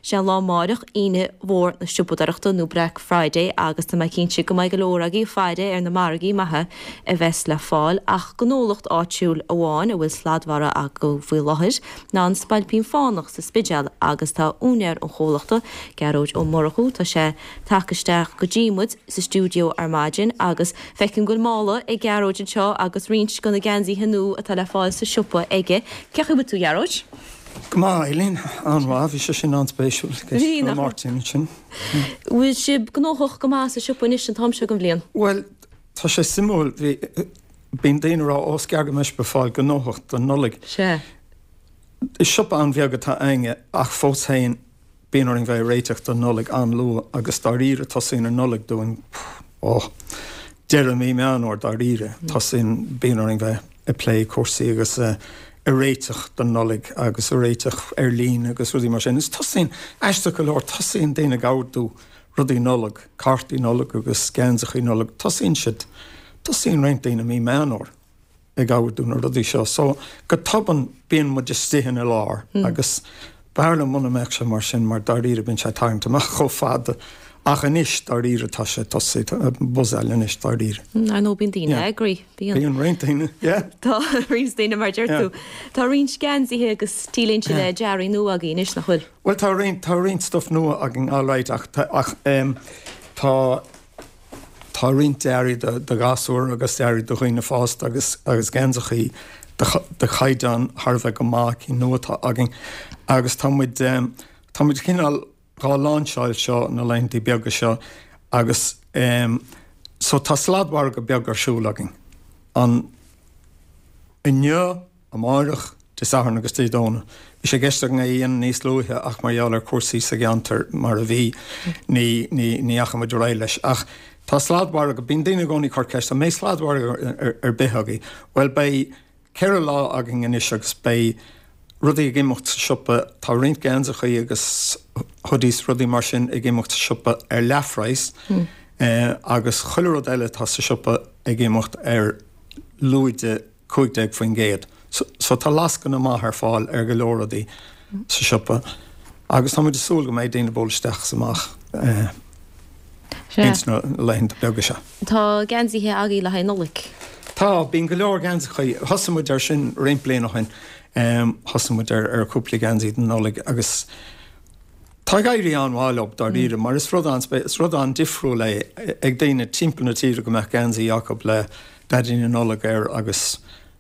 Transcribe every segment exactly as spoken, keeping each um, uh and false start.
Sé an lá amárach Aoine Mhór na Siopadóireachta nó Black Friday agus tá mé cinnte go mbeidh go leor agaibh ag faire ar na margaí maithe a bheas le fáil ach gnólacht áitiúil amháin a bhfuil sladmhargadh acu faoi láthair ná an Spailpín Fánach sa Spidéal agus tá úinéir an chomhlachta Gearóid Ó Murchú tá sé tagtha isteach go dtí muid sa stiúideo ar maidin agus feicim go bhfuil mála ag Gearóid anseo agus roinnt de na geansaithe nua atá le fáil sa siopa aige. Cén chaoi a bhfuil tú Gearóid? Go maith Eileen an-mhaith bhí sé sin an-spéisiúil Bhí nach Martin sin. Bhfuil sibh gnóthach go maith sa siopa anois an t-am seo den bhliain? Well tá sé suimiúil bhí bíonn daoine ag rá ó is gearr go mbeidh sibh ag fáil gnóthach don Nollaig. Sea. Is siopa an-bheag atá againne ach fós féin bíonn orainn bheith ag réiteach don Nollaig an-luath agus dáiríre tosaíonn an Nollaig dúinn ó deireadh mí Meán Fómhair dáiríre tosaíonn bíonn orainn bheith ag plé cúrsaí agus ag réiteach don Nollaig agus ag réiteach ar líne agus rudaí mar sin. Is tosaíonn aisteach go leor tosaíonn daoine ag ordú rudaí Nollag, cártaí Nollag agus geansachaí Nollag, tosaíonn siad tosaíonn roinnt daoine mí Meán Fómhair ag ordú na rudaí seo. So go tobann bíonn muid istigh ina lár agus b'fhearr liom muna mbeadh sé mar sin mar dáiríre bíonn sé ag tarraingt amach chomh fada ach anois dáiríre tá sé tosaithe buzzáil anois dáiríre. Ar ndóigh bíonn daoine eagraithe, bíonn. Bíonn roinnt daoine, yeah. Tá roinnt daoine mar deir tú. Tá roinnt geansaithe agus t-léinte le dearaí nua agaibh anois nach bhfuil? Bhuel tá roinnt tá roinnt stuff nua againn alright ach ach um, tá tá roinnt dearaí do, do ghasúir agus dearaí do dhaoine fásta agus agus geansachaí de, de chaighdeán thar a bheith go maith cinn nua atá againn agus tá muid um, tá muid cineál dhá láinseáil seo na laethanta beaga seo agus um, so tá sladmhargadh beag ar siúl againn. An inniu amárach Dé Sathairn agus Dé Domhnaigh. Bhí sé i gceist againn é a dhéanamh níos luaithe ach mar gheall ar cúrsaí sa gceantar mar a bhí ní ní ní dheachaigh muid ar aghaidh leis. Ach tá sladmhargadh, bíonn daoine i gcónaí ag cur ceist, an mbeidh sladmhargadh ar, ar bith agaibh? Bhuel beidh ceithre lá againn anois agus beidh rudaí ag imeacht sa siopa, tá roinnt geansachaí agus hoodies rudaí mar sin ag imeacht sa siopa ar leathphraghas mm. eh, agus chuile rud eile atá sa siopa ag imeacht ar lúide cúig déag faoin gcéad. So, so tá lascaine maith ar fáil ar go leor rudaí sa siopa. Agus tá muid ag súil go mbeidh daoine ag bualadh isteach is amach eh, ins na laethanta beaga seo. Tá geansaithe agaibh le haghaidh Nollaig. Tá, bíonn go leor geansachaí. Thosaigh muid ar sin roinnt bliain ó shin. Um, thosaigh muid ar, ar cúpla geansaí don Nollaig agus tá ag éirí an-mhaith leo dáiríre, mar is rud an is rud an-difriúil é ag daoine timpeall na tíre go mbeadh geansaí acu le Daidí na Nollag air agus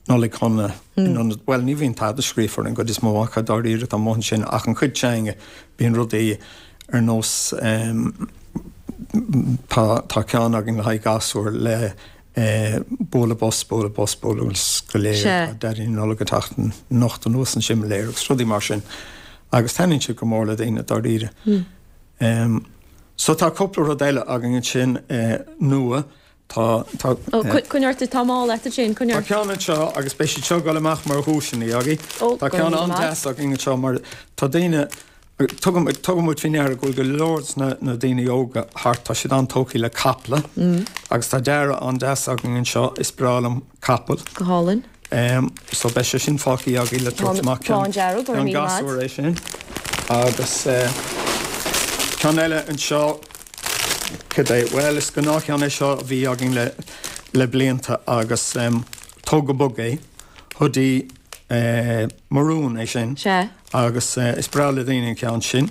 Nollaig Shona in ionad well ní bhíonn tada scríofa ar an gcuid is mó acu dáiríre tá amuigh ansin ach an chuid s'againne bíonn rudaí ar nós um, tá tá ceann againn le haghaidh gasúr le eh, bualadh bos bualadh bos bualadh bos go léir Sea. Daidí na Nollag ag teacht anocht anuas an simléar agus rudaí mar sin agus taitníonn siad go mór le daoine dáiríre. Um, so tá cúpla rud eile againn ansin eh, nua tá tá Ó, coinnigh ort tá mála agat sin Tá coinnigh ort. ceann anseo agus beidh siad seo ag dul amach mar dhuaiseanna agaibh. Ó, Tá go ceann raibh míle maith. an-deas againn anseo mar tá daoine tugaim tugann muid faoi ndeara go bhfuil go leor de na, na daoine óga thart tá siad an-tógtha le caiple agus tá dearadh an-deas againn anseo is breá liom capall. Go hálainn. Um, so beidh sé sin fágtha agaibh le tabhairt amach Bán dearg, go raibh ceann míle maith. gasúr é sin agus uh, ceann eile anseo cad é well is gnáthcheann é seo a bhí againn le le blianta agus um, tóg go bog é hoodie uh, maroon é sin Sea. agus uh, is breá le daoine an ceann sin.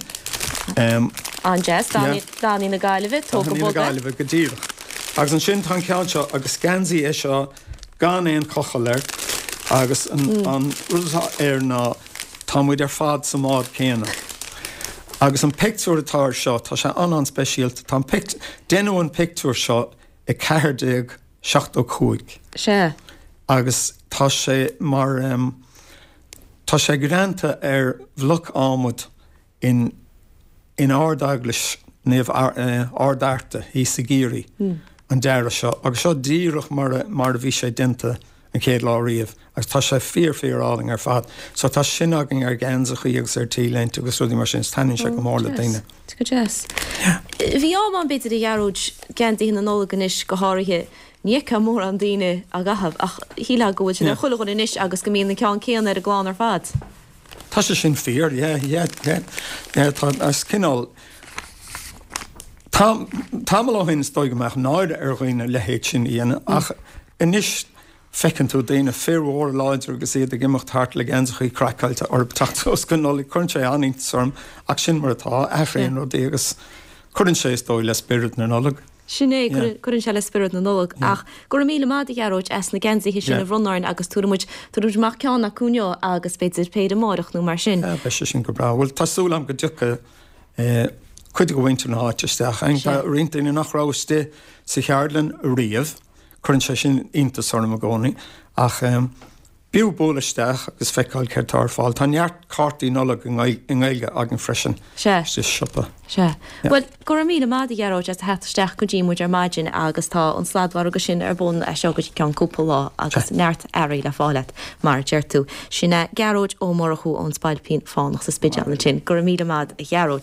Um, An-deas, Yeah. Dathanna na Gaillimhe, tóg go na bog é. Gaillimhe go díreach. Agus ansin tá an ceann seo agus geansaí é seo gan aon chochall air agus an, mm. an rud atá air ná tá muid ar fad sa mbád céanna. Agus an pictiúr atá air seo tá sé an an-speisialta tá an pict deineadh an pictiúr seo i ceathair déag seachtó cúig. Sea. Agus tá sé mar um, tá sé greanta ar bhloc adhmaid in in Ard-Eaglais Naomh Ard Fhearta thíos i gCiarraí an dearadh seo agus seo díreach mar a, mar a bhí sé déanta an chéad lá riamh agus tá sé fíor fíor álainn ar fad. So tá sin againn ar gheansachaí agus ar t-léinte agus rudaí mar sin taitníonn sé go mór le daoine. Go deas. Bhí am ann b'fhéidir a Ghearóid geansaithe na Nollag anois go háirithe ní fheicfeá mórán daoine á gcaitheamh ach shílfeá go bhfuil sin ar chuile dhuine anois agus go mbíonn an ceann céanna ar an gclann ar fad. Tá sé sin fíor, yeah, yeah, yeah, yeah, tá as cineál tamall ó shin is dóigh go mbeadh náire ar dhaoine a leithéid sin a dhéanamh ach anois feiceann tú daoine fir mhóra láidre agus iad ag imeacht thart le geansachaí craiceáilte orthu teacht suas go Nollaig. Cuireann sé an-iontas orm ach sin mar atá, athraíonn rudaí agus cuireann sé is dóigh le spiorad na Nollag. Sin é, cuireann sé le spiorad na Nollag. Ach go raibh míle maith agat a Ghearóid as na geansaithe sin a bhronnadh orainn agus tabharfaidh muid, tabharfaidh muid amach ceann acu inniu agus b'fhéidir péire amárach nó mar sin. Beidh sé sin go breá. Bhuel, tá súil agam go dtiocfaidh cuid de mhuintir na háite isteach. Tá roinnt daoine nach raibh istigh sa cheardlann riamh. Cuireann sé sin iontas orm i gcónaí. Ach b'fhiú bualadh isteach agus feiceáil céard atá ar fáil. Tá neart cártaí Nollag i nGaeilge againn freisin Sea. sa siopa. Sea. Bhuel, go raibh míle maith agat a Ghearóid as a theacht isteach go dtí muid ar maidin agus tá an sladmhargadh sin ar bun as seo go dtí ceann cúpla lá agus neart earraí le fáil agat, mar a deir tú. Sin é Gearóid Ó Murchú ón Spailpín Fánach sa Spidéal ansin. Go raibh míle maith agat a Ghearóid.